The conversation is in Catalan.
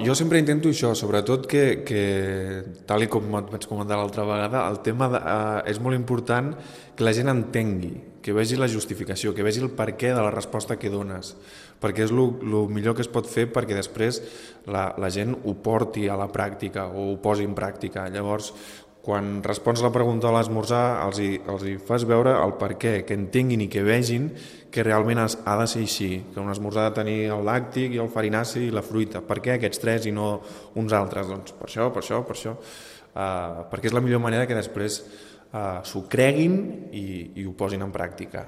Jo sempre intento això, sobretot que tal i com et vaig comentar l'altra vegada, el tema és molt important que la gent entengui, que vegi la justificació, que vegi el perquè de la resposta que dones, perquè és el millor que es pot fer perquè després la gent ho porti a la pràctica o ho posi en pràctica. Llavors, quan respons la pregunta a l'esmorzar, els hi fas veure el per què, que entenguin i que vegin que realment ha de ser així, que un esmorzar ha de tenir el làctic i el farinaci i la fruita. Per què aquests tres i no uns altres? Doncs per això, per això, per això. Perquè és la millor manera que després s'ho creguin i ho posin en pràctica.